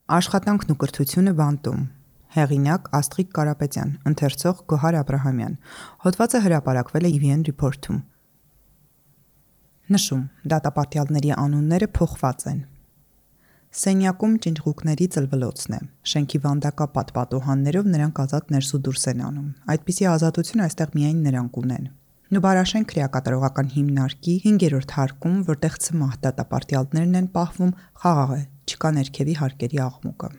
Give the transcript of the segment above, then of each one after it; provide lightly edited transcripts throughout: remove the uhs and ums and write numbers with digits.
Աշխատանքն ու կրթությունը բանտում։ Հեղինակ Աստղիկ Կարապետյան, ընթերցող Գոհար Աբրահամյան։ Հոդվածը հրապարակվել է EVN Report-ում։ Նշում. դատապարտյալների անունները փոխված են։ Սենյակում ճնճղուկների ծլվլոցն է։ Շենքի վանդակապատ պատուհաններով նրանք ազատ ներս ու դուրս են անում։ Այդպիսի ազատություն այստեղ միայն նրանք ունեն։ Նուբարաշեն քրեակատարողական հիմնարկի 5-րդ հարկում, որտեղ ցմահ դատապարտյալներն են պահվում, խաղաղ է, չկա ներքևի հարկերի աղմուկը։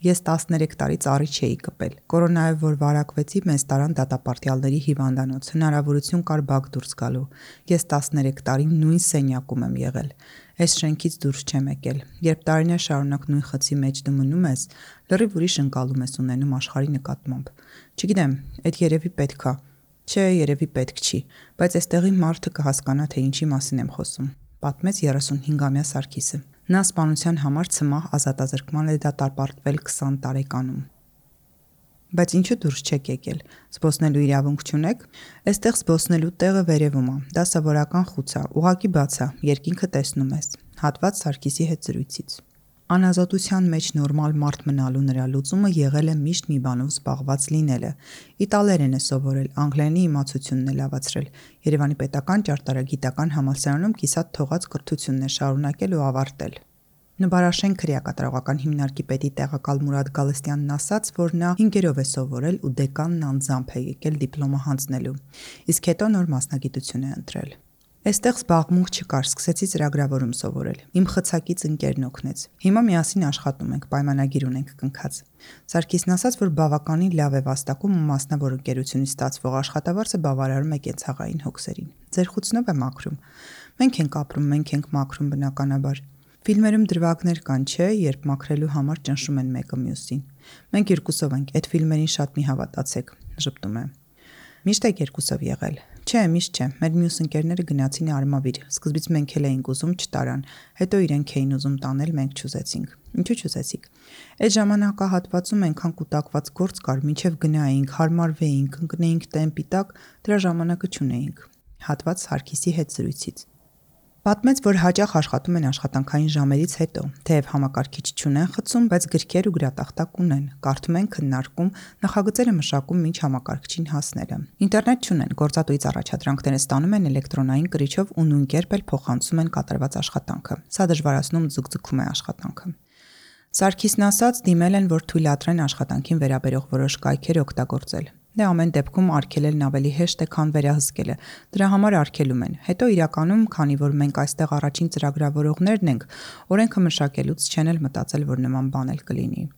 Ես 13 տարի ծառի չէի կպել։ Կորոնայով որ վարակվեցի, մեզ տարան դատապարտյալների հիվանդանոց, հնարավորություն կար բակ դուրս գալու։ Ես 13 տարի նույն սենյակում եմ եղել։ Այս շենքից դուրս չեմ եկել։ Երբ տարիներ շարունակ նույն խցի մեջ դու մնում ես, լրիվ ուրիշ ընկալում ես ունենում աշխարհի նկատմամբ։ Չգիտեմ, այդ երևի պետք է։ Չէ, երևի պետք չի, բայց այստեղի մարդը կհասկանա, թե ինչի մասին եմ խոսում, պատմեց 35-ամյա Սարգիսը։ Նա սպանության համար ցմահ ազատազրկման է դատապարտվել 20 տարեկանում։ Բայց ինչու դուրս չեք եկել։ Զբոսնելու իրավունք չունեք։ Այստեղ զբոսնելու տեղը վերևում է։ Դա սովորական խուց է, ուղղակի բաց է, երկինքը տեսնում ես։ Հատված Սարգիսի հետ զրույցից։ Անազատության մեջ նորմալ մարդ մնալու նրա լուծումը եղել է միշտ մի բանով զբաղված լինելը։ Իտալերեն է սովորել, անգլերենի իմացությունն է լավացրել։ Երևանի պետական ճարտարագիտական համալսարանում կիսատ թողած կրթությունն է շարունակել ու ավարտել։ Նուբարաշեն քրեակատարողական հիմնարկի պետի տեղակալ Մուրադ Գալստյանն ասաց, որ նա 5-րդ է սովորել ու դեկանն անձամբ է եկել դիպլոմը հանձնելու, իսկ հետո նոր մասնագիտություն է ընտրել։ Այստեղ զբաղմունք չկար, սկսեցի ծրագրավորում սովորել։ Իմ խցակից ընկերն օգնեց։ Հիմա միասին աշխատում ենք, պայմանագիր ունենք կնքած։ Սարգիսն ասաց, որ բավականին լավ է վաստակում ու մասնավոր ընկերությունից ստացվող աշխատավարձը բավարարում է կենցաղային հոգսերին։ Ձեր խուցնով է մաքրում։ Մենք ենք ապրում, մենք ենք մաքրում բնականաբար։ Ֆիլմերում դրվագներ կան, չէ, երբ մաքրելու համար ճնշում են մեկը մյուսին։ Մենք երկուսով ենք, այդ ֆիլմերին շատ մի հավատացեք, ժպտում է։ Միշտ եք երկուսով եղել։ Չէ, միշտ չէ։ Մեր մյուս ընկերները գնացին Արմավիր։ Սկզբից մենք էլ էինք ուզում, չտարան։ Հետո իրենք էին ուզում տանել, մենք չուզեցինք։ Ինչու չուզեցիք։ Այդ ժամանակահատվածում այնքան կուտակված գործ կար, մինչև գնայինք, հարմարվեինք, ընկնեինք տեմպի տակ, դրա ժամանակը չունեինք։ Հատված Սարգիսի հետ զրույցից։ Պատմեց, որ հաճախ աշխատում են աշխատանքային ժամերից հետո, թեև համակարգիչ չունեն խցում, բայց գրքեր ու գրատախտակ ունեն, կարդում են, քննարկում, նախագծերը մշակում մինչ համակարգչին հասնելը։ Ինտերնետ չունեն, գործատուից առաջադրանքները ստանում են էլեկտրոնային կրիչով ու նույն կերպ էլ փոխանցում են կատարված աշխատանքը։ Սա դժվարացնում ձգձգում է աշխատանքը։ Սարգիսն ասաց, դիմել են, որ թույլատրեն աշխատանքին վերաբերող որոշ կայքեր օգտագործել։ Դե ամեն դեպքում արգելելն ավելի հեշտ է, քան վերահսկելը։ Դրա համար արգելում են։ Հետո իրականում, քանի որ մենք այստեղ առաջին ծրագրավորողներն ենք, օրենքը մշակելուց չեն էլ մտածել, որ նման բան էլ կլինի։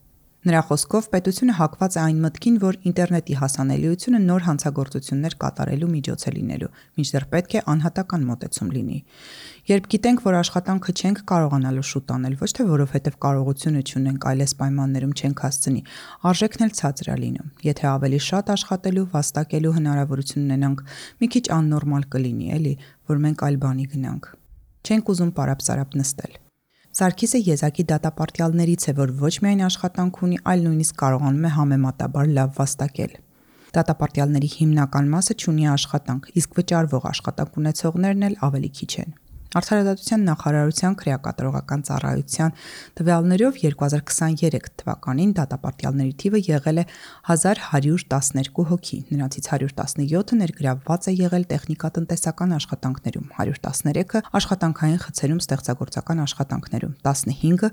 Նրա խոսքով պետությունը հակված է այն մտքին, որ ինտերնետի հասանելիությունը նոր հանցագործություններ կատարելու միջոց է լինելու, մինչդեռ պետք է անհատական մոտեցում լինի։ Երբ գիտենք, որ աշխատանքը չենք կարողանալու շուտ անել, ոչ թե որովհետև կարողությունը չունենք, այլ այս պայմաններում չենք հասցնի, արժեքն էլ ցածր է լինում։ Եթե ավելի շատ աշխատելու, վաստակելու հնարավորություն ունենանք, մի քիչ աննորմալ կլինի, էլի, որ մենք այլ բանի գնանք։ Չենք ուզում պարապ-սարապ նստել։ Սարգիսը եզակի դատապարտյալներից է, որ ոչ միայն աշխատանք ունի, այլ նույնիսկ կարողանում է համեմատաբար լավ վաստակել։ Դատապարտյալների հիմնական մասը չունի աշխատանք, իսկ վճարվող աշխատանք ունեցողներն էլ ավելի քիչ են։ Արդարադատության նախարարության քրեակատարողական ծառայության տվյալներով 2023 թվականին դատապարտյալների թիվը եղել է 1112 հոգի, նրանցից 117-ը ներգրավված է եղել տեխնիկատնտեսական աշխատանքներում, 113-ը աշխատանքային խցերում ստեղծագործական աշխատանքներում, 15-ը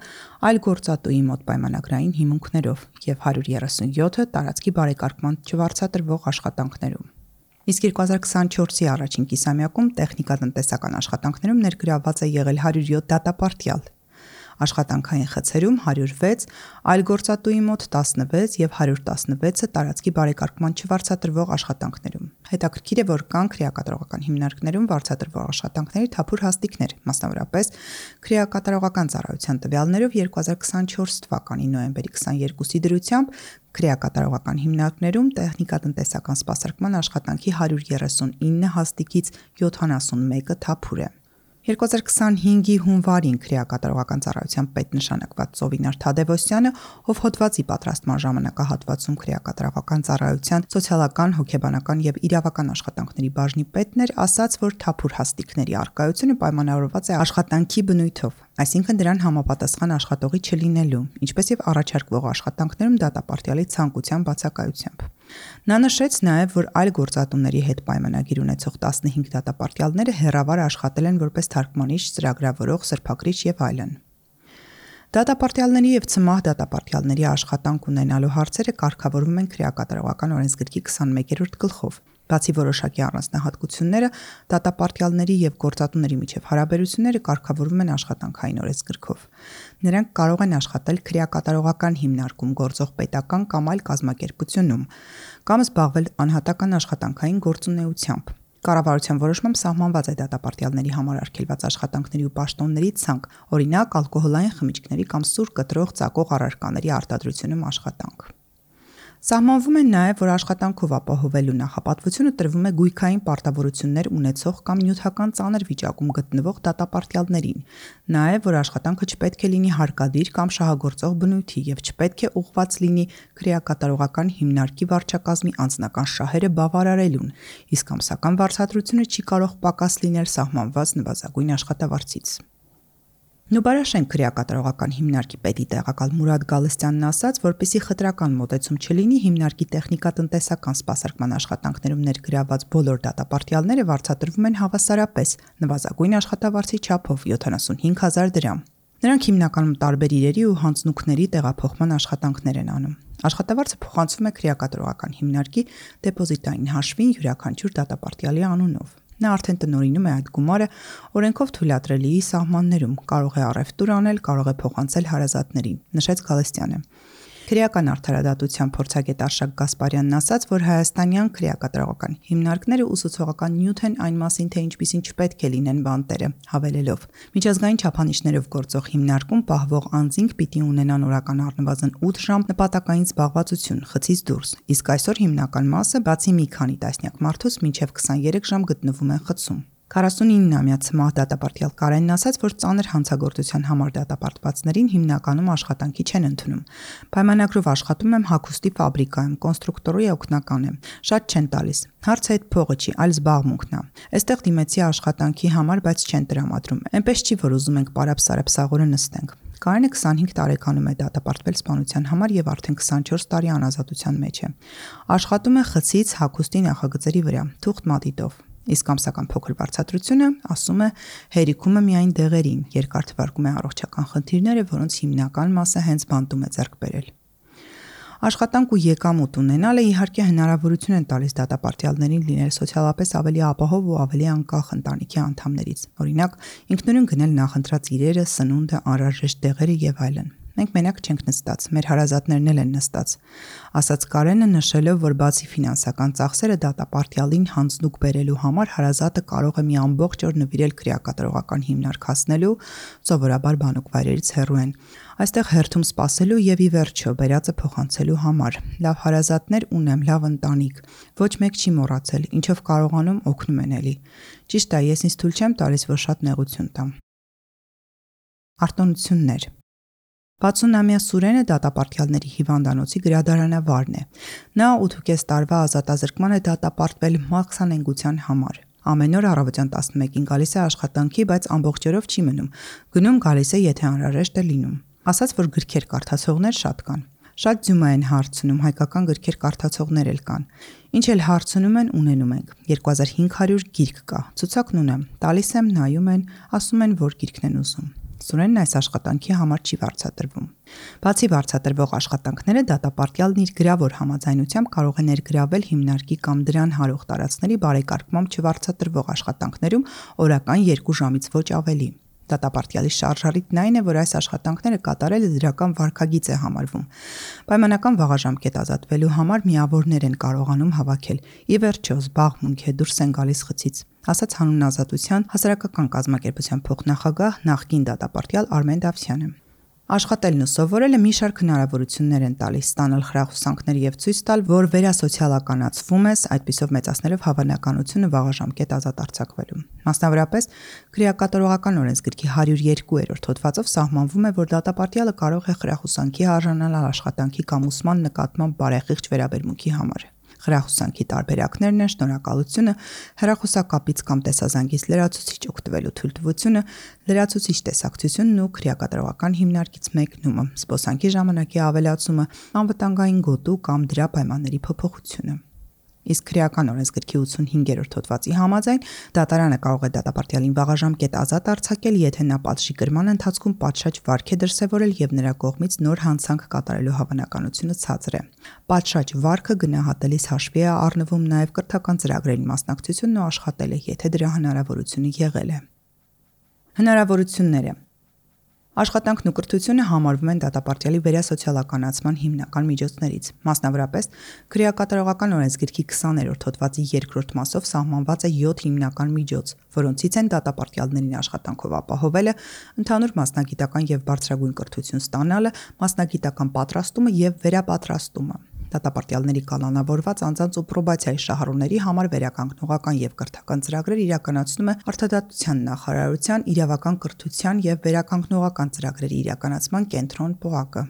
այլ գործատուի մոտ պայմանագրային հիմունքներով և 137-ը տարածքի բարեկարգման չվարձատրվող աշխատանքներում։ Իսկ 2024-ի առաջին կիսամյակում տեխնիկատնտեսական աշխատանքներում ներգրավված է եղել 107 դատապարտյալ, աշխատանքային խցերում 106, այլ գործատուի մոտ 16 և 116-ը տարածքի բարեկարգման չվարձատրվող աշխատանքներում։ Հետաքրքիր է, որ կան քրեակատարողական հիմնարկներում վարձատրվող աշխատանքների թափուր հաստիքներ, մասնավորապես քրեակատարողական ծառայության տվյալներով 2024 թվականի նոյեմբերի 22-ի դրությամբ քրեակատարողական հիմնարկներում տեխնիկատնտեսական սպասարկման աշխատանքի 139 հաստիքից 71-ը թափուր է։ 2025-ի հունվարին քրեակատարողական ծառայության պետ նշանակված Ծովինար Թադևոսյանը, ով հոդվածի պատրաստման ժամանակահատվածում քրեակատարողական ծառայության սոցիալական, հոգեբանական եւ իրավական աշխատանքների բաժնի պետն էր, ասաց, որ թափուր հաստիքների առկայությունը պայմանավորված է աշխատանքի բնույթով, այսինքն դրան համապատասխան աշխատողի չլինելու, ինչպես եւ առաջարկվող աշխատանքներում դատապարտյալի ցանկության բացակայությամբ։ Նա նշեց նաև, որ այլ գործատուների հետ պայմանագիր ունեցող 15 դատապարտյալները հեռավար աշխատել են որպես թարգմանիչ, ծրագրավորող, սրբակրիչ եւ այլն։ Դատապարտյալների եւ ցմահ դատապարտյալների աշխատանք ունենալու հարցերը կարգավորվում են քրեակատարողական օրենսգրքի 21-րդ գլխով։ Բացի որոշակի առանձնահատկությունները, դատապարտյալների եւ գործատուների միջև հարաբերությունները կարգավորվում են աշխատանքային օրենսգրքով։ Նրանք կարող են աշխատել քրեակատարողական հիմնարկում գործող պետական կամ այլ կազմակերպությունում, կամ զբաղվել անհատական աշխատանքային գործունեությամբ։ Կառավարության որոշմամբ սահմանված է դատապարտյալների համար արգելված աշխատանքների ու պաշտոնների ցանկ, օրինակ ալկոհոլային խմիչքների կամ սուր կտրող ծակող առարկաների արտադրությունում աշխատանք։ Սահմանվում է նաև, որ աշխատանքով ապահովելու նախապատվությունը տրվում է գույքային պարտավորություններ ունեցող կամ նյութական ծանր վիճակում գտնվող դատապարտյալներին, նաև, որ աշխատանքը չպետք է լինի հարկադիր կամ շահագործող բնույթի եւ չպետք է ուղղված լինի քրեակատարողական հիմնարկի վարչակազմի անձնական շահերը բավարարելուն, իսկ ամսական վարձատրությունը չի կարող պակաս լինել սահմանված նվազագույն աշխատավարձից։ Նուբարաշեն քրեակատարողական հիմնարկի պետի տեղակալ Մուրադ Գալստյանն ասաց, որպեսզի խտրական մոտեցում չլինի, հիմնարկի տեխնիկատնտեսական սպասարկման աշխատանքներում ներգրավված բոլոր դատապարտյալները վարձատրվում են հավասարապես, նվազագույն աշխատավարձի չափով 75,000 դրամ։ Նրանք հիմնականում տարբեր իրերի ու հանձնուկների տեղափոխման աշխատանքներ են անում։ Աշխատավարձը փոխանցվում է քրեակատարողական հիմնարկի դեպոզիտային հաշվին յուրաքանչյուր դատապարտյալի անունով։ Նա արդեն տնօրինում է այդ գումարը օրենքով թույլատրելիի սահմաններում, կարող է առևտուր անել, կարող է փոխանցել հարազատներին, նշեց Գալստյանը։ Քրեական արդարադատության փորձագետ Արշակ Գասպարյանն ասաց, որ հայաստանյան քրեակատարողական հիմնարկները ուսուցողական նյութ են այն մասին, թե ինչպիսին չպետք է լինեն բանտերը, հավելելով. Միջազգային չափանիշներով գործող հիմնարկում պահվող անձինք պիտի ունենան օրական առնվազն 8 ժամ նպատակային զբաղվածություն, խցից դուրս, իսկ այսօր հիմնական մասը, բացի մի քանի տասնյակ մարդուց, մինչև 23 ժամ գտնվում են խցում։ 49-ամյա ցմահ դատապարտյալ Կարենն ասաց, որ ծանր հանցագործության համար դատապարտվածներին հիմնականում աշխատանքի չեն ընդունում։ Պայմանագրով աշխատում եմ հագուստի ֆաբրիկայում, կոնստրուկտորի օգնական եմ։ Շատ չեն տալիս։ Հարցը այդ փողը չի, այլ զբաղմունքն է։ Այստեղ դիմեցի աշխատանքի համար, բայց չեն տրամադրում։ Էնպես չի, որ ուզում ենք պարապ-սարապսաղորը նստենք։ Կարենը 25 տարեկանում է դատապարտվել սպանության համար եւ արդեն 24 տարի անազատության մեջ է։ Աշխատում է խցից հագուստի նախագծերի վրա, թուղթ մատիտով։ Իսկ ամսական փոքր վարձատրությունը, ասում է, հերիքում է միայն դեղերին, երկար թվարկում է առողջական խնդիրները, որոնց հիմնական մասը հենց բանտում է ձեռք բերել։ Աշխատանք ու եկամուտ ունենալը իհարկե հնարավորություն են տալիս դատապարտյալներին լինել սոցիալապես ավելի ապահով ու ավելի անկախ ընտանիքի անդամներից։ Օրինակ, ինքնուրույն գնել նախընտրած իրերը, սնունդը, անհրաժեշտ դեղերը եւ այլն։ Մենք մենակ չենք նստած, մեր հարազատներն էլ են նստած, ասաց Կարենը, նշելով, որ բացի ֆինանսական ծախսերը դատապարտյալին հանձնուկ բերելու համար հարազատը կարող է մի ամբողջ օր նվիրել քրեակատարողական հիմնարկ հասնելու, սովորաբար բանուկ վայրերից հեռու են, այստեղ հերթում սպասելու եւ ի վերջո բերածը փոխանցելու համար։ Լավ հարազատներ ունեմ, լավ ընտանիք, ոչ մեկ չի մոռացել, ինչով կարողանում օգնում են էլի։ Ճիշտ է, ես ինձ թույլ չեմ տալիս, որ շատ նեղություն տամ։ Արտոնություններ 60-ամյա Սուրենը դատապարտյալների հիվանդանոցի գրադարանավարն է։ Նա 8.5 տարվա ազատազրկման է դատապարտվել մաքսանենգության համար։ Ամեն օր առավոտյան 11-ին գալիս է աշխատանքի, բայց ամբողջ օրով չի մնում։ Գնում գալիս է, եթե անհրաժեշտ է լինում։ Ասաց, որ գրքեր կարդացողներ շատ կան։ Շատ ձյումա են հարցնում, հայկական գրքեր կարդացողներ էլ կան։ Ինչ էլ հարցնում են, ունենում ենք։ 2500 գիրք կա։ Ցուցակն ունեմ։ Տալիս եմ, նայում են, ասում են, որ գիրքն են ուզում։ Սուրենն այս աշխատանքի համար չի վարձատրվում։ Բացի վարձատրվող աշխատանքները դատապարտյալն իր գրավոր համաձայնությամբ կարող է ներգրավել հիմնարկի կամ դրան հարող տարածքների բարեկարգմամբ չվարձատրվող աշխատանքներում օրական 2 ժամից ոչ ավելի։ Դատապարտյալի շարժառիթն այն է, որ այս աշխատանքները կատարելը դրական վարքագիծ է համարվում։ Պայմանական վաղաժամկետ ազատվելու համար միավորներ են կարողանում հավաքել։ Ի վերջո զբաղմունք է, դուրս են գալիս խցից, ասաց Հանուն Ազատության հասարակական կազմակերպության փոխնախագահ նախկին դատապարտյալ Արմեն Դավթյանը։ Աշխատելն ու սովորելը մի շարք հնարավորություններ են տալիս ստանալ խրախուսանքներ եւ ցույց տալ, որ վերասոցիալականացվում ես, այդպիսով մեծացնելով հավանականությունը վաղաժամկետ ազատ արձակվելու։ Մասնավորապես, քրեակատարողական օրենսգրքի 102-րդ հոդվածով սահմանվում է, որ դատապարտյալը կարող է խրախուսանքի արժանանալ աշխատանքի կամ ուսման նկատմամբ բարեխիղճ վերաբերմունքի համար։ Խրախուսանքի տարբերակներն են շնորհակալությունը, հեռախոսակապից կամ տեսազանգից լրացուցիչ օգտվելու թույլտվությունը, լրացուցիչ տեսակցությունն ու քրեակատարողական հիմնարկից մեկնումը, զբոսանքի ժամանակի ավելացումը, անվտանգային գոտու կամ դրա պայմանների փոփոխությունը։ Իսկ քրեական օրենսգրքի 85-րդ հոդվածի համաձայն դատարանը կարող է դատապարտյալին վաղաժամկետ ազատ արձակել, եթե նա պատժի կրման ընթացքում պատշաճ վարք է դրսևորել եւ նրա կողմից նոր հանցանք կատարելու հավանականությունը ցածր է։ Պատշաճ վարքը գնահատելիս հաշվի է առնվում նաեւ կրթական ծրագրերին մասնակցությունն ու աշխատելը, եթե դրա հնարավորությունը եղել է։ Հնարավորությունները Աշխատանքն ու կրթությունը համարվում են դատապարտյալի վերասոցիալականացման հիմնական միջոցներից։ Մասնավորապես, քրեակատարողական օրենսգրքի 20-րդ հոդվածի 2-րդ մասով սահմանված է 7 հիմնական միջոց, որոնցից են դատապարտյալներին աշխատանքով ապահովելը, ընդհանուր մասնագիտական եւ բարձրագույն կրթություն ստանալը, մասնագիտական պատրաստումը եւ վերապատրաստումը։ Դատապարտյալների կանոնավորված անձանց ու պրոբացիայի շահառուների համար վերականգնողական եւ կրթական ծրագրեր իրականացնում է Արդարադատության նախարարության իրավական կրթության եւ վերականգնողական ծրագրերի իրականացման կենտրոն ՊՕԱԿ-ը։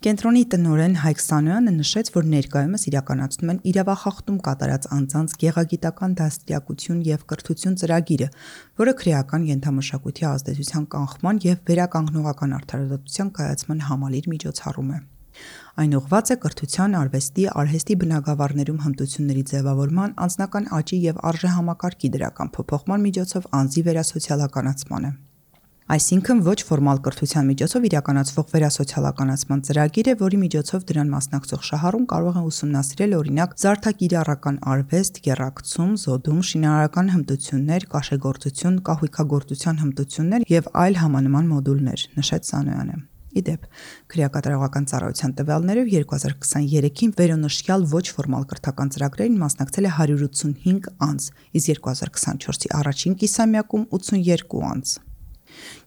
Կենտրոնի տնօրեն Հայկ Սանոյանը նշեց, որ ներկայումս իրականացնում են իրավախախտում կատարած անձանց գեղագիտական դաստիարակություն եւ կրթություն ծրագիրը, որը քրեական ենթամշակույթի ազդեցության կանխման եւ վերականգնողական արդարադատության կայացման համալիր միջոցառում է։ Այն ուղղված է կրթության, արվեստի, արհեստի բնագավառներում հմտությունների ձևավորման, անձնական աճի եւ արժեհամակարգի դրական փոփոխման միջոցով անձի վերասոցիալականացմանը։ Այսինքն ոչ ֆորմալ կրթության միջոցով իրականացվող վերասոցիալականացման ծրագիր է, որի միջոցով դրան մասնակցող շահառուն կարող է ուսումնասիրել օրինակ զարդակիրառական արվեստ, եռակցում, զոդում, շինարարական հմտություններ, կաշեգործություն, կահույքագործության հմտություններ եւ այլ համանման մոդուլներ, նշեց Սանոյանը։ Իդեպ, քրեակատարողական ծառայության տվյալներով 2023-ին վերոնշյալ ոչ ֆորմալ կրթական ծրագրերին մասնակցել է 185 անձ, իսկ 2024-ի առաջին կիսամյակում 82 անձ։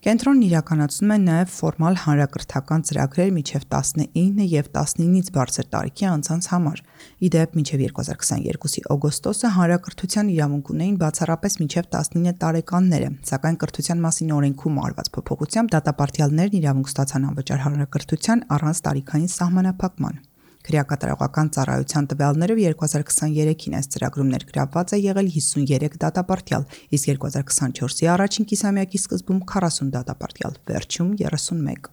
Կենտրոնն իրականացնում է նաև ֆորմալ հանրակրթական ծրագրեր մինչև 19 եւ 19-ից բարձր տարիքի անձանց համար։ Իդեպ, մինչև 2022-ի օգոստոսը հանրակրթության իրավունք ունեին բացառապես մինչև 19 տարեկանները, սակայն կրթության մասին օրենքում արված փոփոխությամբ դատապարտյալներն իրավունք ստացան անվճար հանրակրթության առանց տարիքային սահմանափակման։ Քրեակատարողական ծառայության տվյալներով 2023-ին այս ծրագրում ներգրավված է եղել 53 դատապարտյալ, իսկ 2024-ի առաջին կիսամյակի սկզբում 40 դատապարտյալ, վերջում 31։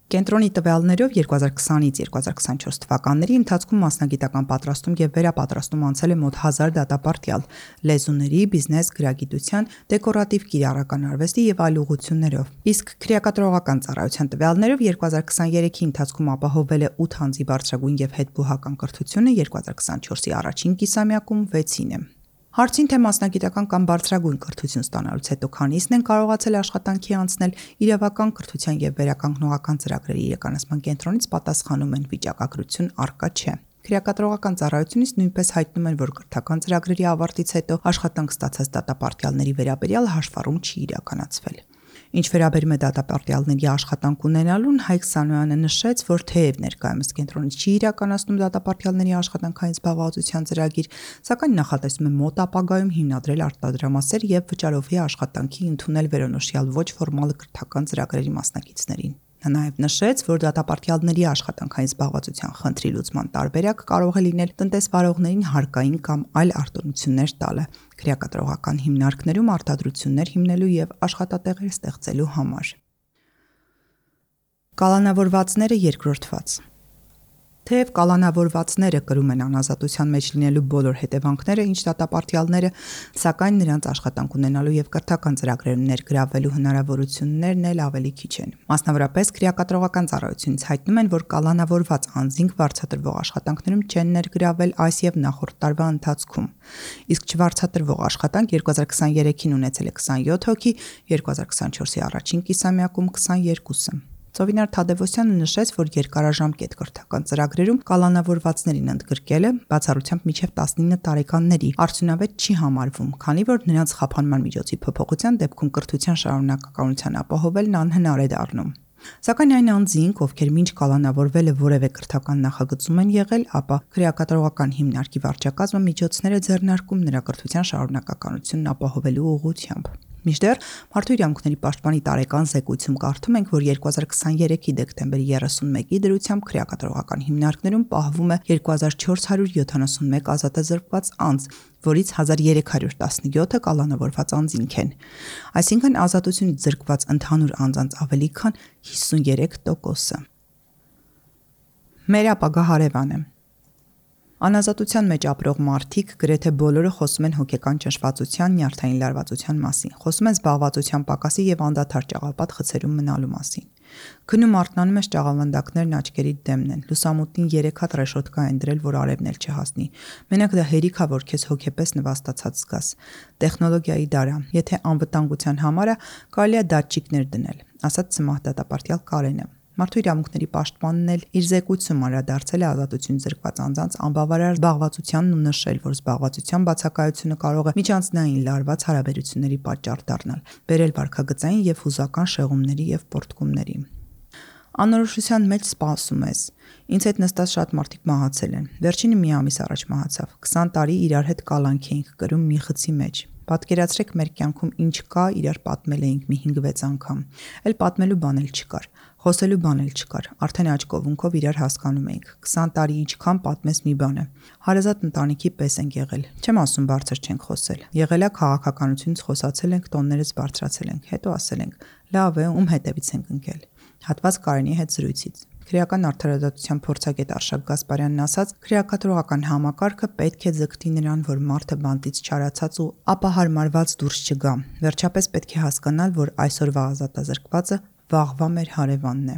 Կենտրոնի տվյալներով 2020-ից 2024 թվականների ընթացքում մասնագիտական պատրաստում եւ վերապատրաստում անցել է մոտ 1000 դատապարտյալ լեզուների, բիզնես, գրագիտության, դեկորատիվ կիրառական արվեստի եւ այլ ուղղություններով։ Իսկ քրեակատարողական ծառայության տվյալներով 2023-ի ընթացքում ապահովել է 8 անձի բարձրագույն եւ հետբուհական կրթությունը, 2024-ի առաջին կիսամյակում 6-ին է։ Հարցին թե մասնագիտական կամ բարձրագույն կրթություն ստանալուց հետո քանիսն են կարողացել աշխատանքի անցնել, իրավական կրթության եւ վերականգնողական ծրագրերի իրականացման կենտրոնից պատասխանում են վիճակագրություն առկա չէ։ Քրեակատարողական ծառայությունից նույնպես հայտնում են, որ կրթական ծրագրերի ավարտից հետո աշխատանք ստացած դատապարտյալների վերաբերյալ հաշվառում չի իրականացվել։ Ինչ վերաբերում է դատապարտյալների աշխատանք ունենալուն, Հայկ Սանոյանը նշեց, որ թեև ներկայումս կենտրոնից չի իրականացնում դատապարտյալների աշխատանքային զբաղվածության ծրագիր, սակայն նախատեսում է մոտ ապագայում հիմնադրել արտադրամասեր եւ վճարովի աշխատանքի ընդունել վերոնշյալ ոչ ֆորմալ կրթական ծրագրերի մասնակիցներին։ Նա նաև նշեց, որ դատապարտյալների աշխատանքային զբաղվածության խնդրի լուծման տարբերակ կարող է լինել տնտեսվարողներին հարկային կամ այլ արտոնություններ տալը, քրեակատարողական հիմնարկներում արտադրություններ հիմնելու եւ աշխատատեղեր ստեղծելու համար։ Կալանավորվածները երկրորդված Թեև կալանավորվածները կրում են անազատության մեջ լինելու բոլոր հետևանքները, ինչ դատապարտյալները, սակայն նրանց աշխատանք ունենալու եւ կրթական ծրագրերում ներգրավվելու հնարավորություններն էլ ավելի քիչ են։ Մասնավորապես քրեակատարողական ծառայությունից հայտնում են, որ կալանավորված անձինք վարձատրվող աշխատանքներում չեն ներգրավվել այս եւ նախորդ տարվա ընթացքում։ Իսկ չվարձատրվող աշխատանք 2023-ին ունեցել է 27 հոգի, 2024-ի առաջին կիսամյակում 22-ը։ Ծովինար Թադևոսյանը նշեց, որ երկարաժամկետ կրթական ծրագրերում կալանավորվածներին ընդգրկելը բացառությամբ մինչև 19 տարեկանների արդյունավետ չի համարվում, քանի որ նրանց խափանման միջոցի փոփոխության դեպքում կրթության շարունակականության ապահովելն անհնար է դառնում։ Սակայն այն անձինք, ովքեր մինչ կալանավորվելը որևէ կրթական նախագծում են եղել, ապա քրեակատարողական հիմնարկի վարչակազմը միջոցներ է ձեռնարկում նրա կրթության շարունակականությունն ապահովելու ուղղությամբ։ Մինչդեռ Մարդու իրավունքների պաշտպանի տարեկան զեկույցում կարդում ենք, որ 2023-ի դեկտեմբերի 31-ի դրությամբ քրեակատարողական հիմնարկներում պահվում է 2471 ազատազրկված անձ, որից 1317-ը կալանավորված անձինք են։ Այսինքն ազատությունից զրկված ընդհանուր անձանց ավելի քան 53%-ը։ Մեր ապագա հարևանը։ Անազատության մեջ ապրող մարդիկ գրեթե բոլորը խոսում են հոգեկան ճնշվածության, նյարդային լարվածության մասին, խոսում են զբաղվածության պակասի եւ անդադար ճաղապատ խցերում մնալու մասին։ Քնում արթնանում ես ճաղավանդակներն աչքերիդ դեմն են, լուսամուտին 3 հատ ռեշոտկա են դրել, որ արևն էլ չհասնի։ Մենակ դա հերիք է, որ քեզ հոգեպես նվաստացած զգաս։ Տեխնոլոգիայի դար է, եթե անվտանգության համար է, կարելի է դատչիկներ դնել, ասաց սմահ-դատապարտյալ Կարենը։ Մարդու իրավունքների պաշտպանն էլ իր զեկույցում անդրադարձել է ազատություն զրկված անձանց անբավարար զբաղվածությանն ու նշել, որ զբաղվածության բացակայությունը կարող է միջանձնային լարված հարաբերությունների պատճառ դառնալ, բերել վարքագծային եւ հուզական շեղումների եւ պոռթկումների։ Անորոշության մեջ սպասում ես։ Ինձ հետ նստած շատ մարդիկ մահացել են։ Վերջինը մի ամիս առաջ մահացավ։ 20 տարի իրար հետ կալանք էինք կրում մի խցի մեջ։ Պատկերացրեք մեր կյանքում ինչ կա, իրար պատմել էինք մի 5-6 անգամ։ Էլ պատմելու բան էլ չկար։ Խոսելու բան էլ չկար։ Արդեն աչքովունքով իրար հասկանում էինք։ 20 տարի ինչքան պատմես մի բան է։ Հարազատ ընտանիքի պես ենք եղել։ Չեմ ասում բարձր չենք խոսել։ Եղել է քաղաքականությունից խոսացել ենք, տոններից բարձրացել ենք, հետո ասել ենք. լավ է, ում հետևից ենք ընկել։ Հատված Կարենի հետ զրույցից։ Քրեական արդարադատության փորձագետ Արշակ Գասպարյանն ասաց, քրեակատարողական համակարգը պետք է ձգտի նրան, որ մարդը բանտից չարացած ու ապահարմարված դուրս չգա։ Վերջապես պետք է հասկանալ, որ այսօրվա ազատազրկվածը վաղվա մեր հարևանն է։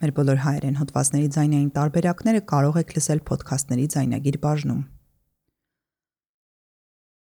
Մեր բոլոր հայերեն հոդվածների ձայնային տարբերակները կարող եք լսել փոդքասթների ձայնագիր բաժնում։